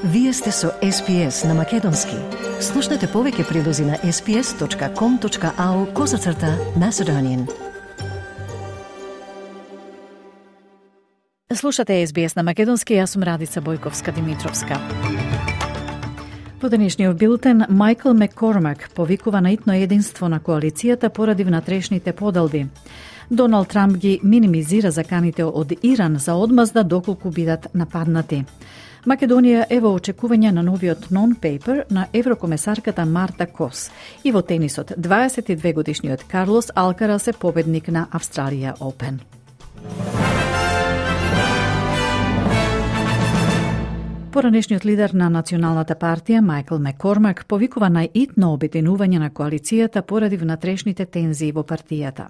Вие сте со SPS на Македонски. Слушнете повеќе прилози на sps.com.au/Macedonian. Слушате SBS на Македонски, јас сум Радица Бојковска-Димитровска. Во денешниот билтен, Майкл Маккормак повикува на итно единство на коалицијата поради внатрешните поделби. Доналд Трамп ги минимизира заканите од Иран за одмазда доколку бидат нападнати. Македонија е во очекување на новиот нон-пейпер на еврокомесарката Марта Кос. И во тенисот, 22 годишниот Карлос Алкарас е победник на Австралија Опен. Поранешниот лидер на Националната партија, Майкл Маккормак, повикува на итно обединување на коалицијата поради внатрешните тензии во партијата.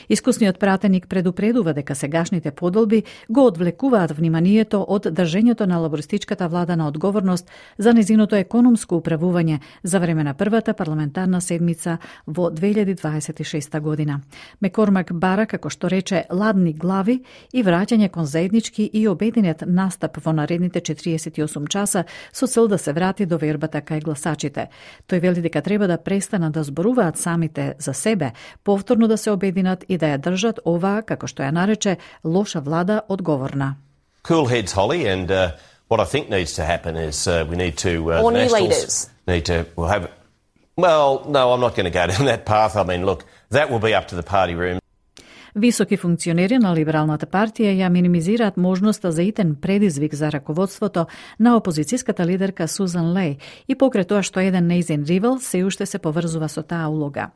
Искусниот пратеник предупредува дека сегашните поделби го одвлекуваат вниманието од држењето на лабористичката влада на одговорност за незиното економско управување за време на првата парламентарна седмица во 2026 година. Маккормак бара, како што рече, ладни глави и враќање кон заеднички и обединет настап во наредните 48 часа со цел да се врати довербата кај гласачите. Тој вели дека треба да престанат да зборуваат самите за себе, повторно да се обединат и да ја држат оваа, како што ја нарече, лоша влада одговорна. Cool heads, Holly, and what I think needs to happen is we need to... Or new leaders. Need to have... Well, no, I'm not going to go down that path. I mean, look, that will be up to the party room. Високи функционери на Либералната партија ја минимизираат можноста за итен предизвик за раководството на опозицијската лидерка Сузан Леј и покрај тоа што еден нејзин ривал се уште се поврзува со таа улога.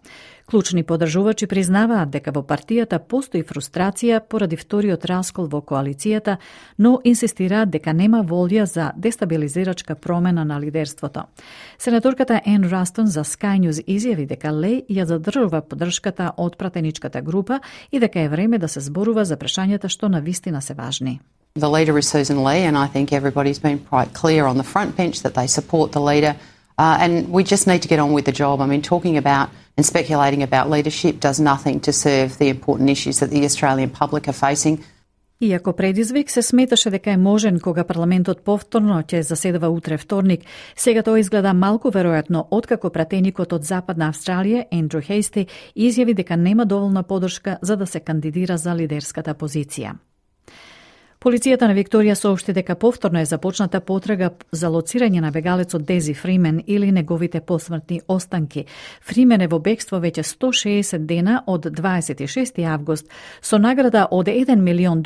Клучни подржувачи признаваат дека во партијата постои фрустрација поради вториот раскол во коалицијата, но инсистираат дека нема волја за дестабилизирачка промена на лидерството. Сенаторката Ен Растон за Sky News изјави дека Леј ја задржува поддршката од пратеничката група и дека е време да се зборува за прашањата што навистина се важни. The leader is Susan Lee, and I think everybody's been quite clear on the front bench that they support the leader. And we just need to get on with the job. I mean, talking about and speculating about leadership does nothing to serve the important issues that the Australian public are facing. Иако предизвик се сметаше дека е можен кога парламентот повторно ќе заседава утре вторник, сега тоа изгледа малку веројатно откако пратеникот од Западна Австралија, Ендрю Хейсти, изјави дека нема доволна поддршка за да се кандидира за лидерската позиција. Полицијата на Викторија соопшти дека повторно е започната потрага за лоцирање на бегалецот Дези Фримен или неговите посмртни останки. Фримен е во бегство веќе 160 дена од 26. август со награда од $1 милион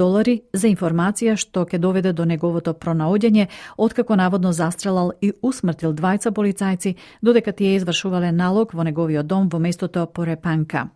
за информација што ќе доведе до неговото пронаоѓање откако наводно застрелал и усмртил двајца полицајци додека тие извршувале налог во неговиот дом во местото Порепанка.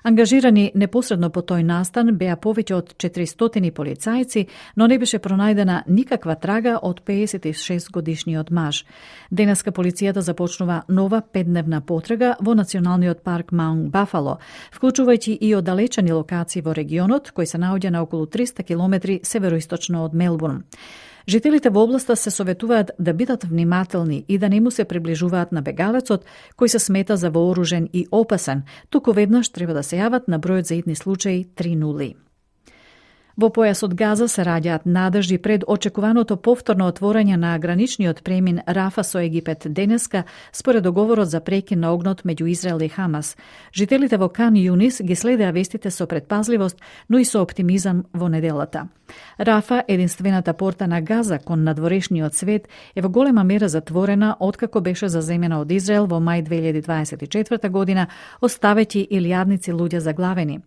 Ангажирани непосредно по тој настан беа повеќе од 400 полицајци, но не беше пронајдена никаква трага од 56 годишниот маж. Денеска полицијата започнува нова 5-дневна потрага во националниот парк Маунт Бафало, вклучувајќи и оддалечени локации во регионот, кој се наоѓа на околу 300 километри североисточно од Мелбурн. Жителите во областа се советуваат да бидат внимателни и да не му се приближуваат на бегалецот, кој се смета за вооружен и опасен, туку веднаш треба да се јават на бројот за итни случаи 300. Во појасот Газа се раѓаат надежди пред очекуваното повторно отворање на граничниот премин Рафа со Египет денеска, според договорот за прекин на огнот меѓу Израел и Хамас. Жителите во Кан Юнис ги следеа вестите со предпазливост, но и со оптимизам во неделата. Рафа, единствената порта на Газа кон надворешниот свет, е во голема мера затворена откако беше заземена од Израел во мај 2024 година, оставејќи илјадници луѓе заглавени.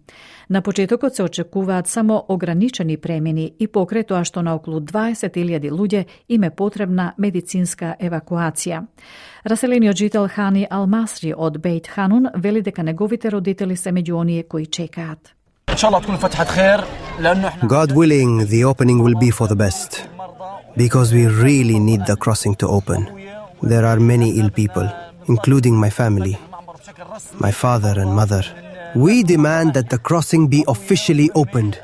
На почетокот се очекуваат само ограничени премини и покрај тоа што на околу 20.000 луѓе им е потребна медицинска евакуација. Раселениот жител Хани Алмасри од Бейт Ханун вели дека неговите родители се меѓу оние кои чекаат. God willing, the opening will be for the best, because we really need the crossing to open. There are many ill people, including my family, my father and mother. We demand that the crossing be officially opened,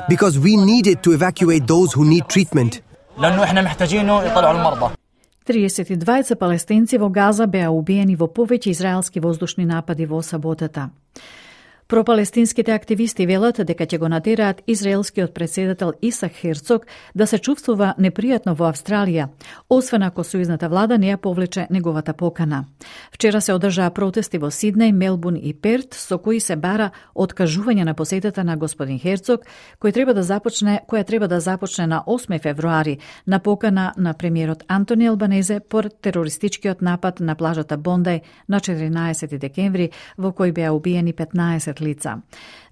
because we need it to evacuate those who need treatment. 32 палестинци во Газа беа убиени во повеќе израелски воздушни напади во саботата. Пропалестинските активисти велат дека ќе го натераат израелскиот председател Исак Херцог да се чувствува непријатно во Австралија, освен ако сојузната влада не ја повлече неговата покана. Вчера се одржаа протести во Сиднеј, Мелбурн и Перт, со кои се бара откажување на посетата на господин Херцог, која треба да започне на 8 февруари на покана на премиерот Антони Албанезе по терористичкиот напад на плажата Бондај на 14 декември, во кој беа убиени 15 лица.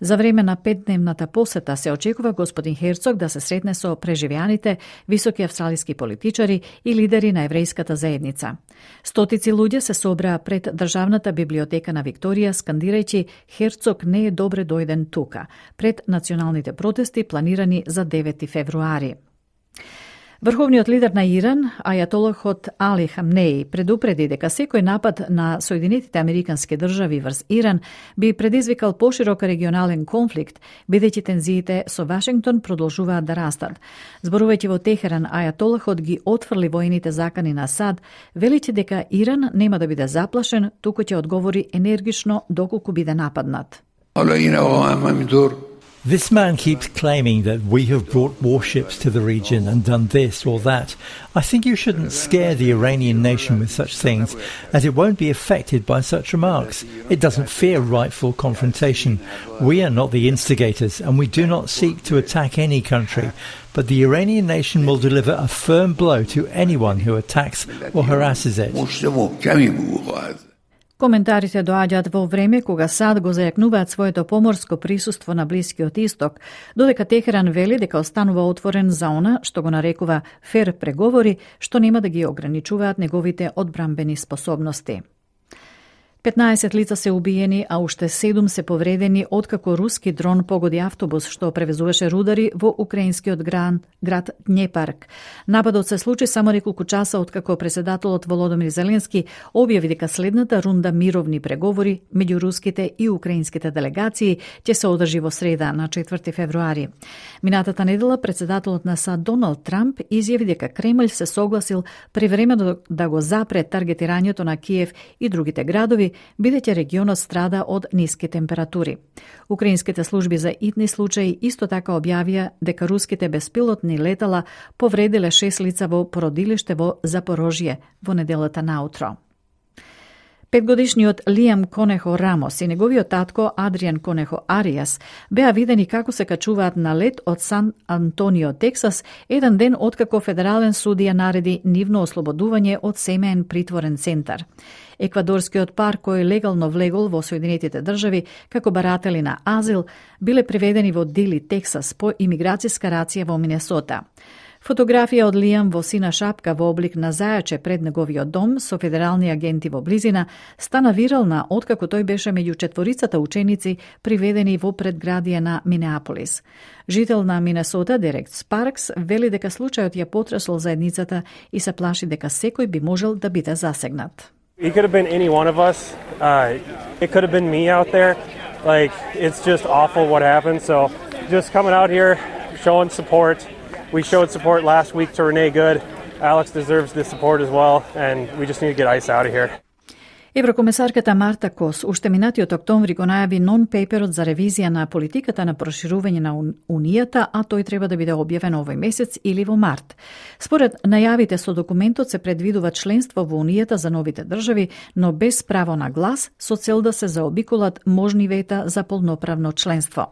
За време на 5-дневната посета се очекува господин Херцог да се сретне со преживеаните, високи австралиски политичари и лидери на еврејската заедница. Стотици луѓе се собраа пред Државната библиотека на Викторија, скандирајќи Херцог не е добре дојден тука, пред националните протести планирани за 9 февруари. Врховниот лидер на Иран, ајатолахот Али Хамнеи, предупреди дека секој напад на Соединетите Американски држави врз Иран би предизвикал поширок регионален конфликт, бидејќи тензиите со Вашингтон продолжуваат да растат. Зборувајќи во Техеран, ајатолахот ги отфрли воените закани на САД, велејќи дека Иран нема да биде заплашен, туку ќе одговори енергично доколку биде нападнат. This man keeps claiming that we have brought warships to the region and done this or that. I think you shouldn't scare the Iranian nation with such things, as it won't be affected by such remarks. It doesn't fear rightful confrontation. We are not the instigators, and we do not seek to attack any country. But the Iranian nation will deliver a firm blow to anyone who attacks or harasses it. Коментарите доаѓаат во време кога САД го зајакнуваат своето поморско присуство на Блискиот Исток, додека Техеран вели дека останува отворен за она што го нарекува фер преговори, што нема да ги ограничуваат неговите одбрамбени способности. 15 лица се убиени, а уште 7 се повредени откако руски дрон погоди автобус што превезуваше рудари во украинскиот град Днепарк. Нападот се случи само неколку часа откако председателот Володомир Зеленски објави дека следната рунда мировни преговори меѓу руските и украинските делегации ќе се одржи во среда на 4 февруари. Минатата недела председателот на САД Доналд Трамп изјави дека Кремљ се согласил привремено да го запре таргетирањето на Киев и другите градови, бидејќи регионот страда од ниски температури. Украинските служби за итни случаи исто така објавија дека руските беспилотни летала повредиле 6 лица во породилиште во Запорожје во неделата наутро. 5-годишниот Лиам Конехо Рамос и неговиот татко Адриан Конехо Ариас беа видени како се качуваат на лет од Сан Антонио, Тексас, еден ден откако федерален судија нареди нивно ослободување од семеен притворен центар. Еквадорскиот пар кој легално влегол во Соединетите држави како баратели на азил биле приведени во Дили, Тексас по имиграцијска рација во Минесота. Фотографија од Лиам во сина шапка во облик на зајаче пред неговиот дом со федерални агенти во близина стана вирална откако тој беше меѓу четворицата ученици приведени во предградие на Минеаполис. Жител на Минесота, Дерек Спаркс, вели дека случајот ја потресол заедницата и се плаши дека секој би можел да биде засегнат. It could have been any one of us. It could have been me out there. Like, it's just awful what happened. So just coming out here, showing support. We showed support last week to Renee Good. Alex deserves this support as well, and we just need to get ICE out of here. Еврокомесарката Марта Кос уште минатиот октомври го најави нон-пейперот за ревизија на политиката на проширување на Унијата, а тој треба да биде објавен овој месец или во март. Според најавите со документот се предвидува членство во Унијата за новите држави, но без право на глас, со цел да се заобиколат можни вета за полноправно членство.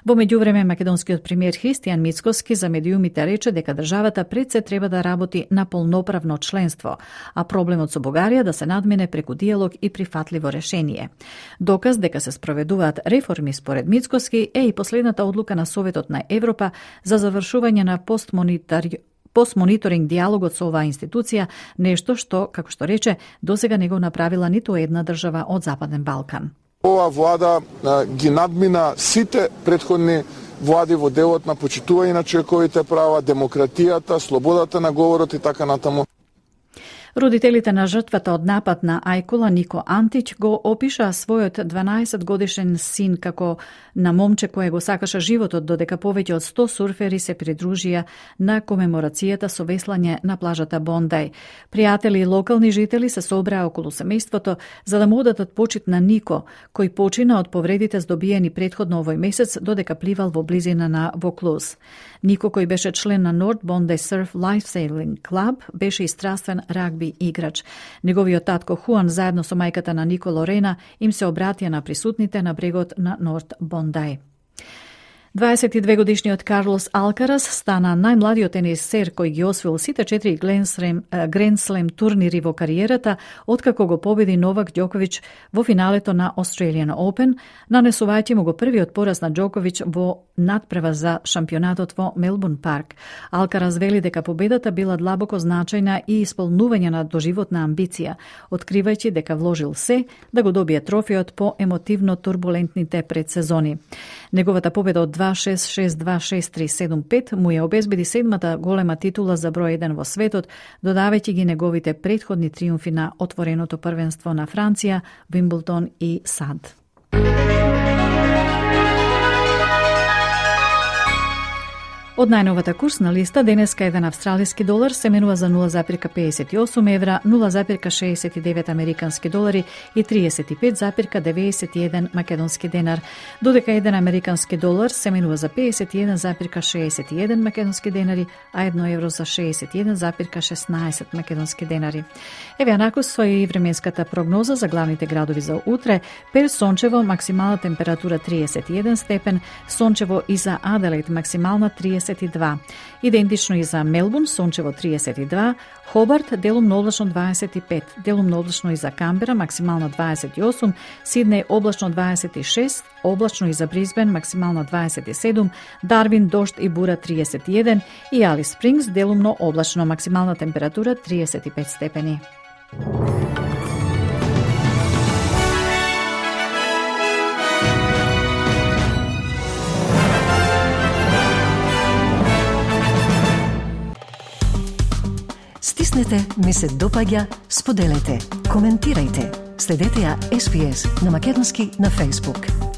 Во меѓувреме, македонскиот премиер Христијан Мицкоски за медиумите рече дека државата пред се треба да работи на полноправно членство, а проблемот со Бугарија да се надмине преку диалог и прифатливо решение. Доказ дека се спроведуваат реформи според Мицкоски е и последната одлука на Советот на Европа за завршување на постмониторинг диалогот со оваа институција, нешто што, како што рече, досега не го направила ниту една држава од Западен Балкан. Ова влада ги надмина сите претходни влади во делот на почитување на човековите права, демократијата, слободата на говорот и така натаму. Родителите на жртвата од напад на Ајкула, Нико Антич, го опишаа својот 12-годишен син како на момче кое го сакаше животот, додека повеќе од 100 сурфери се придружија на комеморацијата со веслање на плажата Бондај. Пријатели и локални жители се собраа околу семејството за да му одатат почит на Нико, кој почина од повредите здобиени претходно овој месец додека пливал во близина на Воклуз. Нико, кој беше член на North Bondi Surf Lifesaving Club, беше и страствен рагби играч. Неговиот татко Хуан заедно со мајката на Нико Лорена им се обратија на присутните на брегот на North Bondi. 22-годишниот Карлос Алкарас стана најмладиот тенисер кој ги освоил сите 4 Grand Slam турнири во кариерата, откако го победи Новак Ѓоковиќ во финалето на Australian Open, нанесувајќи му го првиот пораз на Ѓоковиќ во надпревар за шампионатот во Мелбурн парк. Алкарас вели дека победата била длабоко значајна и исполнување на доживотна амбиција, откривајќи дека вложил се да го добие трофеот по емотивно турбулентните предсезони. Неговата победа од 2-6-6-2-6-3-7-5 му ја обезбеди седмата голема титула за број 1 во светот, додавајќи ги неговите претходни триумфи на отвореното првенство на Франција, Вимблдон и САД. Од најновата курсна листа, денеска еден австралиски долар се менува за 0,58 евра, 0,69 американски долари и 35,91 македонски денар, додека еден американски долар се менува за 51,61 македонски денари, а 1 евро за 61,16 македонски денари. Еве анакус и временската прогноза за главните градови за утре. Перт сончево, максимална температура 31 степен, сончево и за Аделаид максимална 32. Идентично и за Мелбурн, сончево 32, Хобарт делумно облачно 25, делумно облачно и за Камбера, максимално 28, Сиднеј облачно 26, облачно и за Брисбен, максимално 27, Дарвин дожд и бура 31 и Алис Спрингс делумно облачно, максимална температура 35 степени. Стиснете, ми се допаѓа, споделете, коментирајте. Следете ја SPS на македонски на Facebook.